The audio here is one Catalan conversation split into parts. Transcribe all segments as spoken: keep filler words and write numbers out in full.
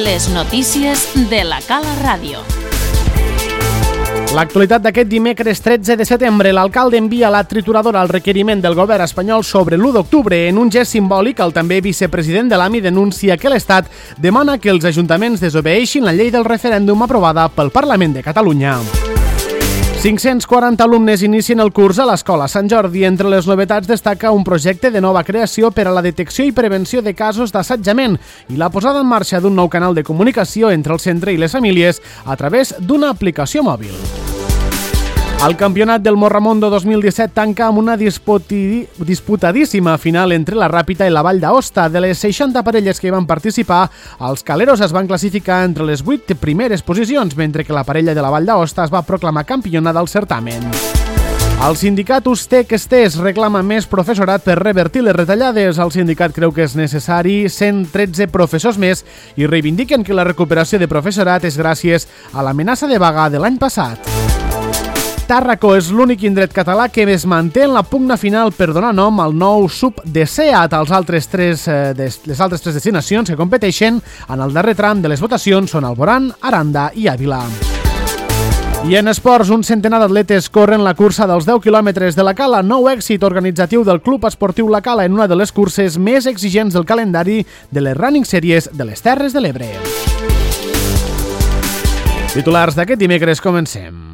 Les notícies de la Cala Ràdio. L'actualitat d'aquest dimecres tretze de setembre, l'alcalde envia la trituradora al requeriment del govern espanyol sobre l'u d'octubre. En un gest simbòlic, el també vicepresident de l'A M I denuncia que l'Estat demana que els ajuntaments desobeeixin la llei del referèndum aprovada pel Parlament de Catalunya. cinc-cents quaranta alumnes inicien el curs a l'Escola Sant Jordi. Entre les novetats destaca un projecte de nova creació per a la detecció i prevenció de casos d'assetjament i la posada en marxa d'un nou canal de comunicació entre el centre i les famílies a través d'una aplicació mòbil. El campionat del Morramondo dos mil disset tanca amb una disputi... disputadíssima final entre la Ràpita i la Vall d'Aosta. De les seixanta parelles que hi van participar, els caleros es van classificar entre les vuit primeres posicions, mentre que la parella de la Vall d'Aosta es va proclamar campiona del certamen. El sindicat Ustec Estés reclama més professorat per revertir les retallades. El sindicat creu que és necessari cent tretze professors més i reivindiquen que la recuperació de professorat és gràcies a l'amenaça de vaga de l'any passat. Tàrraco és l'únic indret català que es manté en la pugna final per donar nom al nou sub de SEAT. Els altres tres, eh, des, les altres tres destinacions que competeixen en el darrer tram de les votacions són Alborán, Aranda i Àvila. I en esports, un centenar d'atletes corren la cursa dels deu quilòmetres de la Cala, nou èxit organitzatiu del Club Esportiu La Cala en una de les curses més exigents del calendari de les Running Series de les Terres de l'Ebre. Titulars d'aquest dimecres, comencem.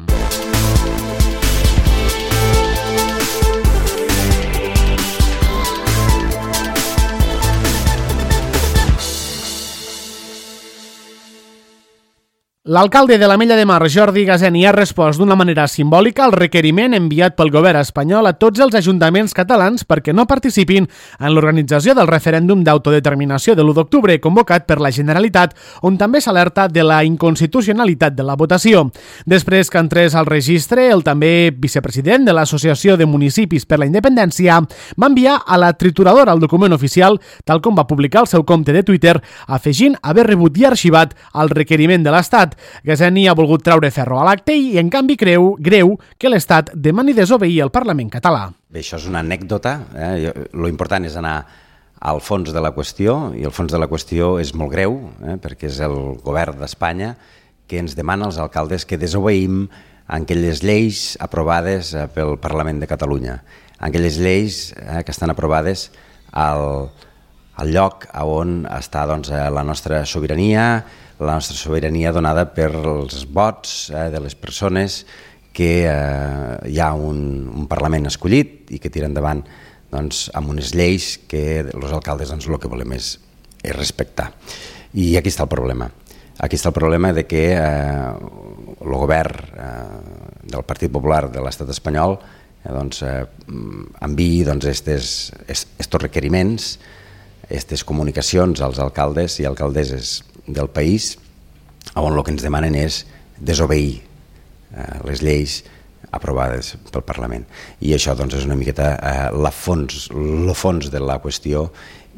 L'alcalde de l'Ametlla de Mar, Jordi Gazeni, ha respost d'una manera simbòlica al requeriment enviat pel govern espanyol a tots els ajuntaments catalans perquè no participin en l'organització del referèndum d'autodeterminació de l'u d'octubre convocat per la Generalitat, on també s'alerta de la inconstitucionalitat de la votació. Després que entrés al registre, el també vicepresident de l'Associació de Municipis per la Independència va enviar a la trituradora el document oficial, tal com va publicar al seu compte de Twitter, afegint haver rebut i arxivat el requeriment de l'Estat. Gazeni ha volgut treure ferro a l'acte i, en canvi, creu greu que l'Estat demani desobeir el Parlament català. Bé, això és una anècdota. Eh? Lo important és anar al fons de la qüestió, i el fons de la qüestió és molt greu, eh? perquè és el govern d'Espanya que ens demana als alcaldes que desobeïm aquelles lleis aprovades pel Parlament de Catalunya. Aquelles lleis eh, que estan aprovades al, al lloc on està doncs, la nostra sobirania, la nostra sobirania donada per els vots eh, de les persones que eh, hi ha un, un Parlament escollit i que tira endavant doncs, amb unes lleis que els alcaldes doncs, el que volem és, és respectar. I aquí està el problema. Aquí està el problema de que eh, el govern eh, del Partit Popular de l'Estat espanyol eh, doncs, eh, enviï doncs, estes, estos requeriments, aquestes comunicacions als alcaldes i alcaldesses del país, on el que ens demanen és desobeir eh, les lleis aprovades pel Parlament. I això doncs, és una miqueta eh, la fons, el fons de la qüestió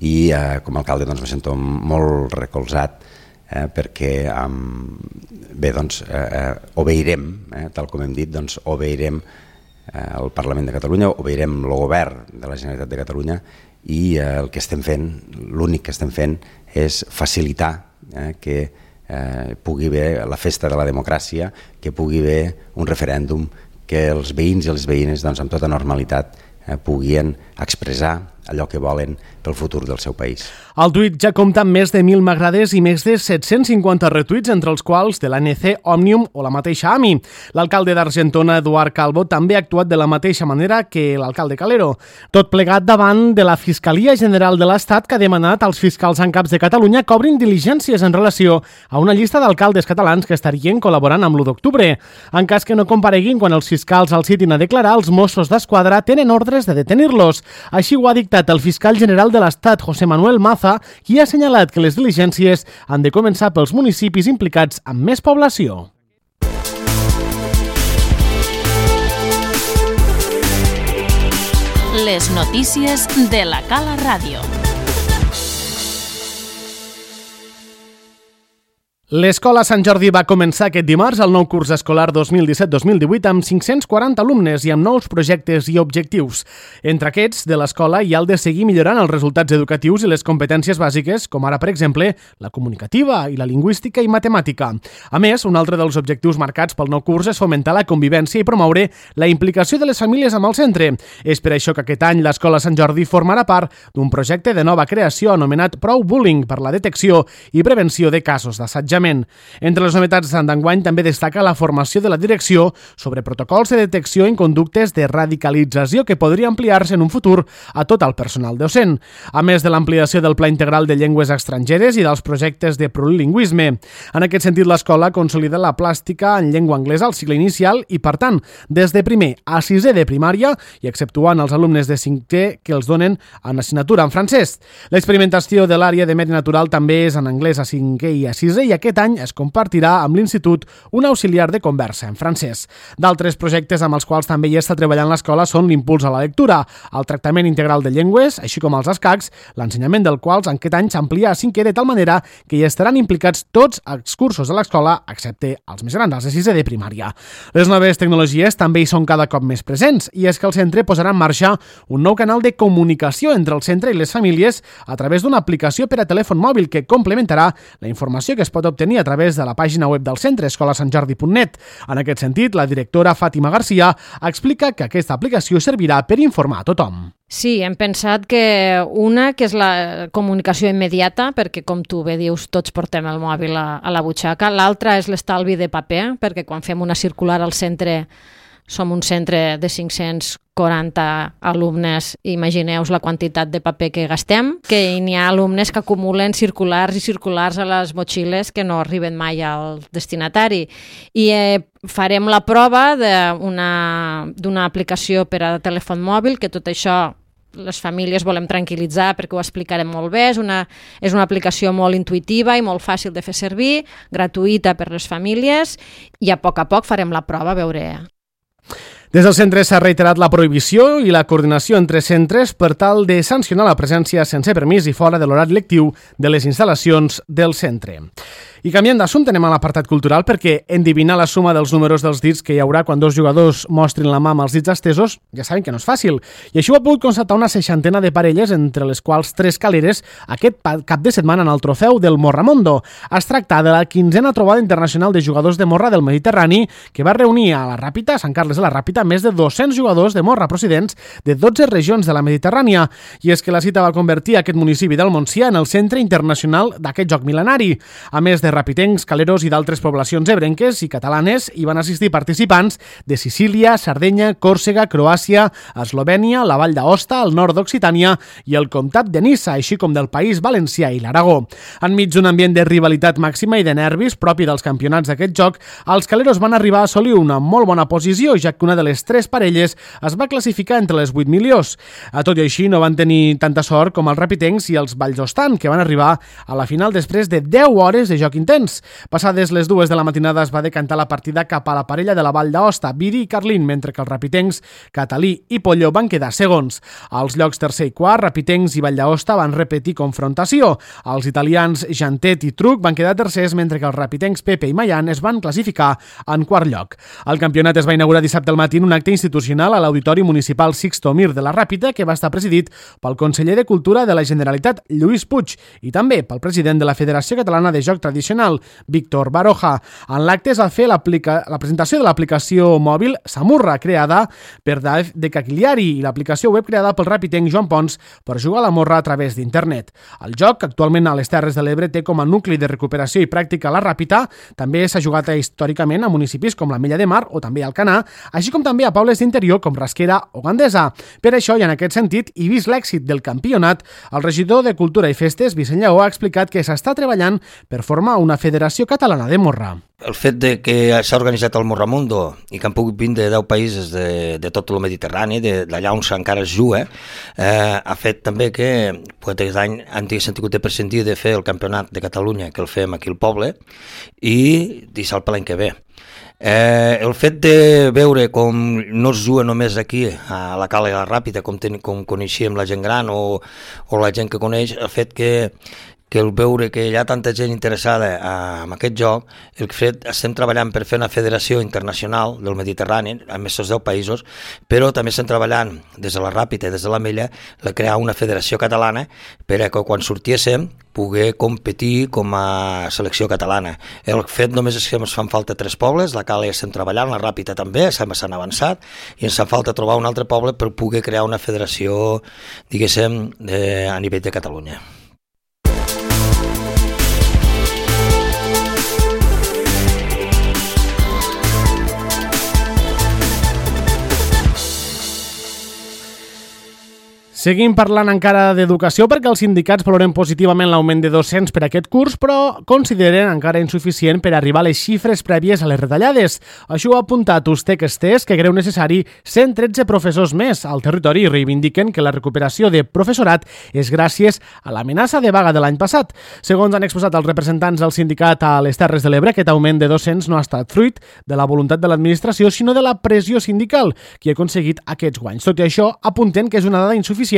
i eh, com a alcalde doncs, me sento molt recolzat eh, perquè eh, bé, doncs, eh, obeirem, eh, tal com hem dit, doncs, obeirem eh, el Parlament de Catalunya, obeirem el govern de la Generalitat de Catalunya i eh, el que estem fent, l'únic que estem fent és facilitar eh, que eh, pugui haver la festa de la democràcia, que pugui haver un referèndum, que els veïns i les veïnes doncs, amb tota normalitat eh, puguin expressar allò que volen pel futur del seu país. El tuit ja compta amb més de mil m'agrades i més de set-cents cinquanta retuits, entre els quals de l'A N C, Òmnium o la mateixa A M I. L'alcalde d'Argentona, Eduard Calvo, també ha actuat de la mateixa manera que l'alcalde Calero. Tot plegat davant de la Fiscalia General de l'Estat, que ha demanat als fiscals en caps de Catalunya que obrin diligències en relació a una llista d'alcaldes catalans que estarien col·laborant amb l'u d'octubre. En cas que no compareguin quan els fiscals els citin a declarar, els Mossos d'Esquadra tenen ordres de detenir-los. Així ho ha dictat el fiscal general de l'Estat, José Manuel Maza, qui ha assenyalat que les diligències han de començar pels municipis implicats amb més població. Les notícies de la Cala Ràdio. L'Escola Sant Jordi va començar aquest dimarts el nou curs escolar dos mil disset dos mil divuit amb cinc-cents quaranta alumnes i amb nous projectes i objectius. Entre aquests, de l'escola hi ha el de seguir millorant els resultats educatius i les competències bàsiques, com ara, per exemple, la comunicativa i la lingüística i matemàtica. A més, un altre dels objectius marcats pel nou curs és fomentar la convivència i promoure la implicació de les famílies amb el centre. És per això que aquest any l'Escola Sant Jordi formarà part d'un projecte de nova creació anomenat Prou Bullying per la detecció i prevenció de casos d'assetjament. Entre les novetats d'enguany també destaca la formació de la direcció sobre protocols de detecció en conductes de radicalització que podria ampliar-se en un futur a tot el personal docent, a més de l'ampliació del Pla Integral de Llengües Estrangeres i dels projectes de plurilingüisme. En aquest sentit, l'escola consolida la plàstica en llengua anglesa al cicle inicial i, per tant, des de primer a sisè de primària i exceptuant els alumnes de cinquè que els donen en assignatura en francès. L'experimentació de l'àrea de medi natural també és en anglès a cinquè i a sisè i aquest Aquest any es compartirà amb l'Institut un auxiliar de conversa en francès. D'altres projectes amb els quals també hi està treballant l'escola són l'impuls a la lectura, el tractament integral de llengües, així com els escacs, l'ensenyament del quals en aquest any s'amplia a cinquè de tal manera que hi estaran implicats tots els cursos de l'escola, excepte els més grans, els de sisè de primària. Les noves tecnologies també hi són cada cop més presents i és que el centre posarà en marxa un nou canal de comunicació entre el centre i les famílies a través d'una aplicació per a telèfon mòbil que complementarà la informació que es pot obtenir obtenir a través de la pàgina web del centre, escola sant jordi punt net. En aquest sentit, la directora Fàtima Garcia explica que aquesta aplicació servirà per informar a tothom. Sí, hem pensat que una, que és la comunicació immediata, perquè com tu bé dius, tots portem el mòbil a, a la butxaca. L'altra és l'estalvi de paper, perquè quan fem una circular al centre, som un centre de cinc-cents quaranta alumnes, imagineu-vos la quantitat de paper que gastem, que n'hi ha alumnes que acumulen circulars i circulars a les motxilles que no arriben mai al destinatari. I eh, farem la prova d'una aplicació per a telèfon mòbil, que tot això les famílies volem tranquil·litzar perquè ho explicarem molt bé. És una, és una aplicació molt intuïtiva i molt fàcil de fer servir, gratuïta per les famílies, i a poc a poc farem la prova, a veure. Des del centre s'ha reiterat la prohibició i la coordinació entre centres per tal de sancionar la presència sense permís i fora de l'horari lectiu de les instal·lacions del centre. I canviant d'assumpte, anem a l'apartat cultural perquè endevinar la suma dels números dels dits que hi haurà quan dos jugadors mostrin la mà amb els dits estesos ja saben que no és fàcil. I això ho ha pogut constatar una seixantena de parelles, entre les quals tres caleres, aquest cap de setmana en el trofeu del Morramondo. Es tracta de la quinzena trobada internacional de jugadors de morra del Mediterrani que va reunir a la Ràpita, a Sant Carles de la Ràpita, més de dos-cents jugadors de morra procedents de dotze regions de la Mediterrània. I és que la cita va convertir aquest municipi del Montsià en el centre internacional d'aquest joc mil·lenari. A més de rapitencs, caleros i d'altres poblacions ebrenques i catalanes, hi van assistir participants de Sicília, Sardenya, Còrsega, Croàcia, Eslovènia, la Vall d'Aosta, el nord d'Occitània i el comtat de Niça, així com del País Valencià i l'Aragó. Enmig d'un ambient de rivalitat màxima i de nervis propi dels campionats d'aquest joc, els caleros van arribar a assolir una molt bona posició, ja que una de les tres parelles es va classificar entre les vuit millors. A tot i així, no van tenir tanta sort com els rapitencs i els valljostan, que van arribar a la final després de deu hores de joc intens. Passades les dues de la matinada es va decantar la partida cap a la parella de la Vall d'Aosta, Viri i Carlín, mentre que els rapitencs Catalí i Polló van quedar segons. Als llocs tercer i quart, rapitencs i Vall d'Aosta van repetir confrontació. Els italians Jantet i Truc van quedar tercers, mentre que els rapitencs Pepe i Mayan es van classificar en quart lloc. El campionat es va inaugurar dissabte al matí en un acte institucional a l'Auditori Municipal Sixto Mir de la Ràpita, que va estar presidit pel conseller de Cultura de la Generalitat, Lluís Puig, i també pel president de la Federació Catalana de Joc Tradicional, Víctor Baroja. En l'acte es va fer la presentació de l'aplicació mòbil Samurra, creada per Daef de Cagliari, i l'aplicació web creada pel rapitenc Joan Pons per jugar a la morra a través d'internet. El joc, actualment a les Terres de l'Ebre, té com a nucli de recuperació i pràctica la Ràpita. També s'ha jugat històricament a municipis com la Mella de Mar o també Alcanar, així com també a pobles d'interior com Rasquera o Gandesa. Per això, i en aquest sentit, i vist l'èxit del campionat, el regidor de Cultura i Festes, Vicent Lleó, ha explicat que s'està treballant per formar una federació catalana de morra. El fet de que s'ha organitzat el Morramundo i que han pogut vindre deu països de, de tot el Mediterrani, d'allà on encara es juga, eh, ha fet també que pues, aquest any han tingut de prescindir de fer el campionat de Catalunya, que el fem aquí al poble, i deixar-lo per l'any que ve. Eh, el fet de veure com no es juga només aquí a la Cala i a la Ràpita, com, ten, com coneixíem la gent gran o, o la gent que coneix, el fet que que el veure que hi ha tanta gent interessada en aquest joc, el fet estem treballant per fer una federació internacional del Mediterrani, amb aquests deu països, però també estem treballant des de la Ràpita i des de la Mella de crear una federació catalana per a que quan sortíssim poder competir com a selecció catalana. El fet només és que ens fan falta tres pobles, la Cala ja estem treballant, la Ràpita també, s'han avançat, i ens fa falta trobar un altre poble per poder crear una federació, diguéssim, de, a nivell de Catalunya. Seguim parlant encara d'educació perquè els sindicats valoren positivament l'augment de docents per a aquest curs, però consideren encara insuficient per arribar a les xifres prèvies a les retallades. Això ho ha apuntat Ustec Estés, que creu necessari cent tretze professors més al territori i reivindiquen que la recuperació de professorat és gràcies a l'amenaça de vaga de l'any passat. Segons han exposat els representants del sindicat a les Terres de l'Ebre, aquest augment de docents no ha estat fruit de la voluntat de l'administració, sinó de la pressió sindical, que ha aconseguit aquests guanys. Tot i això, apunten que és una dada insuficient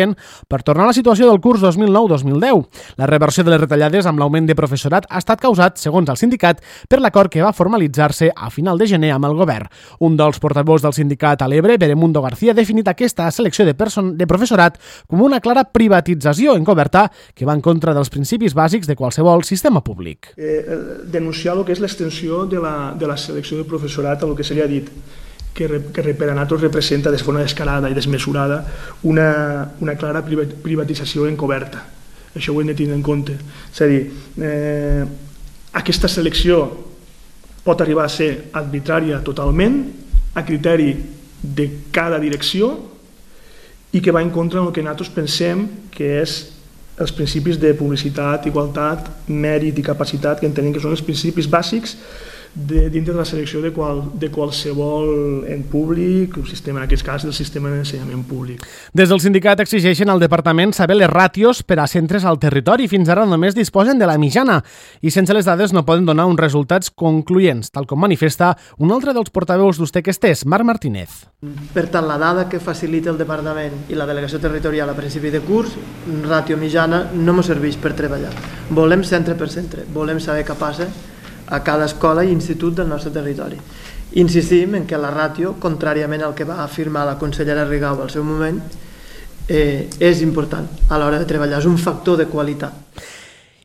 per tornar a la situació del curs dos mil nou dos mil deu. La reversió de les retallades amb l'augment de professorat ha estat causat, segons el sindicat, per l'acord que va formalitzar-se a final de gener amb el govern. Un dels portaveus del sindicat a l'Ebre, Beremundo García, ha definit aquesta selecció de, de professorat com una clara privatització encoberta que va en contra dels principis bàsics de qualsevol sistema públic. Eh, denunciar el que és l'extensió de la, de la selecció de professorat a el que seria dit que, que per a nosaltres representa de forma descarada i desmesurada una, una clara privatització encoberta. Això ho hem de tenir en compte. És a dir, eh, aquesta selecció pot arribar a ser arbitrària totalment, a criteri de cada direcció, i que va en contra del que nosaltres pensem que és els principis de publicitat, igualtat, mèrit i capacitat, que entenem que són els principis bàsics de, dintre de la selecció de, qual, de qualsevol en públic, un sistema, en aquest cas del sistema d'ensenyament públic. Des del sindicat exigeixen al departament saber les ràtios per a centres al territori. Fins ara només disposen de la mitjana i sense les dades no poden donar uns resultats concloents, tal com manifesta un altre dels portaveus d'Ustec Estés, Marc Martínez. Per tant, la dada que facilita el departament i la delegació territorial a principi de curs, ràtio mitjana, no ens serveix per treballar. Volem centre per centre, volem saber què passa a cada escola i institut del nostre territori. Insistim en que la ràtio, contràriament al que va afirmar la consellera Rigau al seu moment, eh, és important a l'hora de treballar, és un factor de qualitat.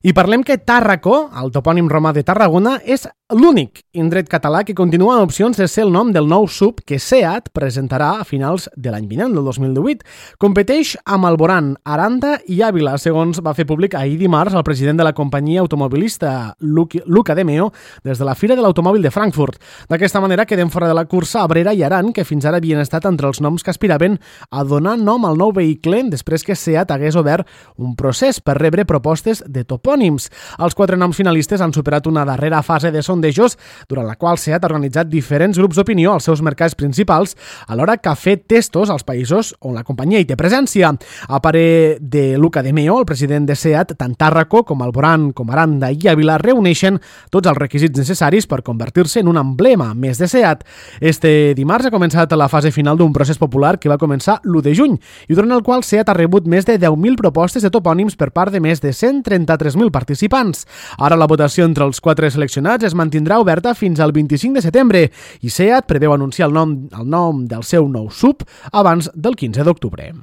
I parlem que Tàrraco, el topònim romà de Tarragona, és l'únic indret català que continua en opcions de ser el nom del nou sub que SEAT presentarà a finals de l'any vinent, del dos mil divuit. Competeix amb Alborán, Aranda i Àvila, segons va fer públic ahir dimarts el president de la companyia automobilista Luca de Meo des de la Fira de l'Automòbil de Frankfurt. D'aquesta manera queden fora de la cursa Abrera i Aran, que fins ara havien estat entre els noms que aspiraven a donar nom al nou vehicle després que SEAT hagués obert un procés per rebre propostes de topònims. Els quatre noms finalistes han superat una darrera fase de sondejos durant la qual SEAT ha organitzat diferents grups d'opinió als seus mercats principals, alhora que ha fet testos als països on la companyia hi té presència. A parer de Luca de Meo, el president de SEAT, tant Tàrraco com Alborán, com Aranda i Àvila reuneixen tots els requisits necessaris per convertir-se en un emblema més de SEAT. Este dimarts ha començat la fase final d'un procés popular que va començar l'u de juny i durant el qual SEAT ha rebut més de deu mil propostes de topònims per part de més de cent trenta-tres mil participants. Ara la votació entre els quatre seleccionats es mantindrà oberta fins al vint-i-cinc de setembre i SEAT preveu anunciar el nom, el nom del seu nou sub abans del quinze d'octubre.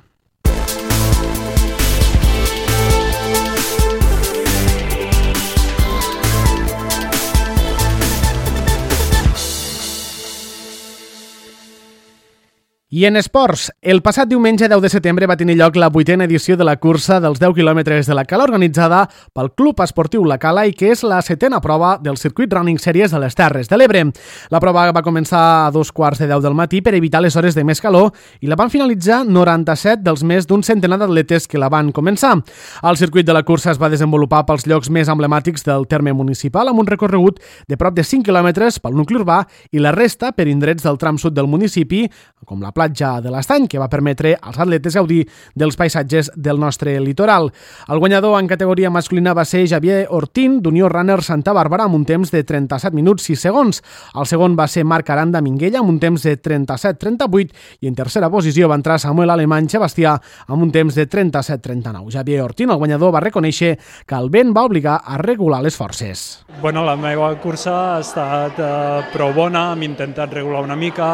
I en esports, el passat diumenge deu de setembre va tenir lloc la vuitena edició de la cursa dels deu quilòmetres de la Cala organitzada pel Club Esportiu La Cala i que és la setena prova del circuit Running Series de les Terres de l'Ebre. La prova va començar a dos quarts de deu del matí per evitar les hores de més calor i la van finalitzar noranta-set dels més d'un centenar d'atletes que la van començar. El circuit de la cursa es va desenvolupar pels llocs més emblemàtics del terme municipal amb un recorregut de prop de cinc quilòmetres pel nucli urbà i la resta per indrets del tram sud del municipi, com la plaça platja de l'Estany, que va permetre als atletes gaudir dels paisatges del nostre litoral. El guanyador en categoria masculina va ser Javier Ortín, d'Unió Runner Santa Bàrbara, amb un temps de trenta-set minuts sis segons. El segon va ser Marc Aranda Minguella, amb un temps de trenta-set trenta-vuit, i en tercera posició va entrar Samuel Alemany Sebastià, amb un temps de trenta-set trenta-nou. Javier Ortín, el guanyador, va reconèixer que el vent va obligar a regular les forces. Bueno, la meva cursa ha estat eh, prou bona, hem intentat regular una mica,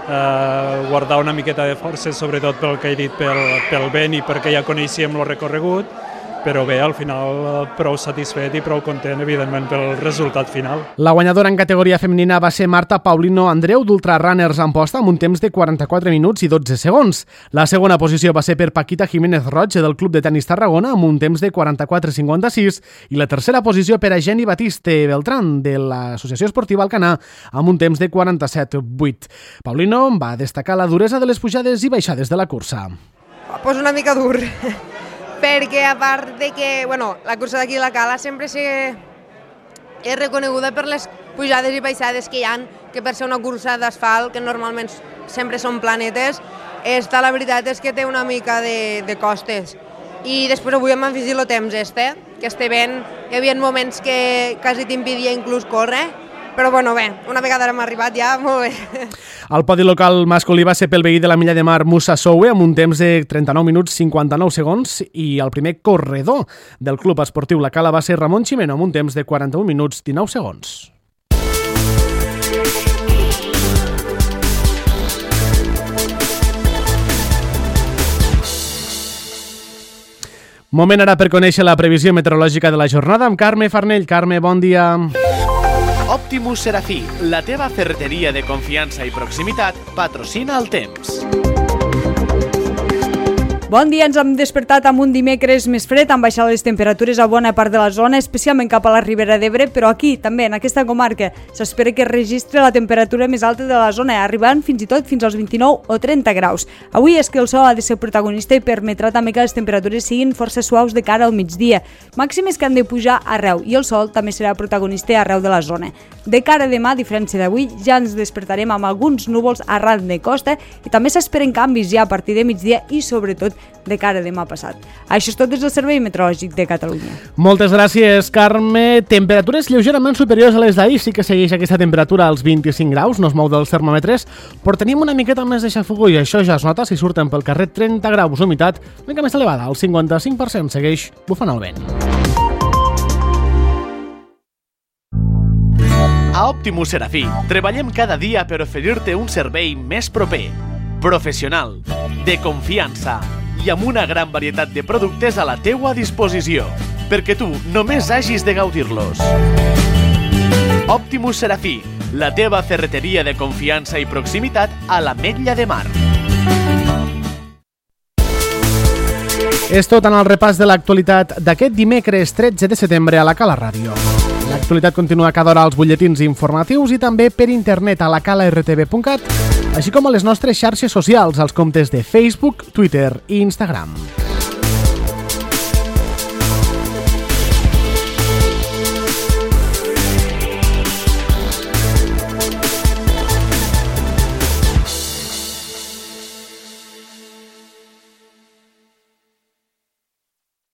eh, guardar una miqueta de forces, sobretot pel que he dit pel, pel vent i perquè ja coneixíem el recorregut, però bé, al final prou satisfet i prou content, evidentment, pel resultat final. La guanyadora en categoria femenina va ser Marta Paulino Andreu, d'Ultra Runners Amposta, amb un temps de quaranta-quatre minuts i dotze segons. La segona posició va ser per Paquita Jiménez Roig, del Club de Tenis Tarragona, amb un temps de quaranta-quatre cinquanta-sis, i la tercera posició per a Jenny Batiste Beltrán, de l'Associació Esportiva Alcanar, amb un temps de quaranta-set vuit. Paulino va destacar la duresa de les pujades i baixades de la cursa. Pues una mica dur, perquè a part de que bueno, la cursa d'aquí de la Cala sempre és reconeguda per les pujades i baixades que hi ha, que per ser una cursa d'asfalt, que normalment sempre són planetes, esta la veritat és que té una mica de, de costes. I després avui hem afegit el temps este, que este vent, hi havia moments que quasi t'impedia inclús córrer, però bueno, bé, una vegada hem arribat ja, molt bé. El podi local masculí va ser pel veí de la Milla de Mar Musa Soue, amb un temps de trenta-nou minuts cinquanta-nou segons, i el primer corredor del Club Esportiu La Cala va ser Ramon Ximeno, amb un temps de quaranta-un minuts dinou segons. Moment ara per conèixer la previsió meteorològica de la jornada amb Carme Farnell. Carme, bon dia. Optimus Serafí, la teva ferreteria de confiança i proximitat, patrocina el temps. Bon dia, ens hem despertat amb un dimecres més fred, han baixat les temperatures a bona part de la zona, especialment cap a la Ribera d'Ebre, però aquí, també, en aquesta comarca, s'espera que registre la temperatura més alta de la zona, arribant fins i tot fins als vint-i-nou o trenta graus. Avui és que el sol ha de ser protagonista i permetrà també que les temperatures siguin força suaus de cara al migdia. Màximes que han de pujar arreu, i el sol també serà protagonista arreu de la zona. De cara a demà, a diferència d'avui, ja ens despertarem amb alguns núvols arran de costa i també s'esperen canvis ja a partir de migdia i, sobretot, de cara a demà passat. Això és tot des del Servei Meteorològic de Catalunya. Moltes gràcies, Carme. Temperatures lleugerament superiors a les d'ahir. Sí que segueix aquesta temperatura als vint-i-cinc graus, no es mou dels termòmetres, però tenim una miqueta més de xafogó i això ja es nota si surten pel carrer. Trenta graus, humitat una mica més elevada, al cinquanta-cinc per cent, segueix bufant el vent. A Optimus Serafí treballem cada dia per oferir-te un servei més proper, professional, de confiança i amb una gran varietat de productes a la teua disposició, perquè tu només hagis de gaudir-los. Optimus Serafí, la teva ferreteria de confiança i proximitat a l'Ametlla de Mar. És tot en el repàs de l'actualitat d'aquest dimecres tretze de setembre a la Cala Ràdio. L'actualitat continua cada hora als butlletins informatius i també per internet a la cala r t v punt cat, així com a les nostres xarxes socials, als comptes de Facebook, Twitter i Instagram.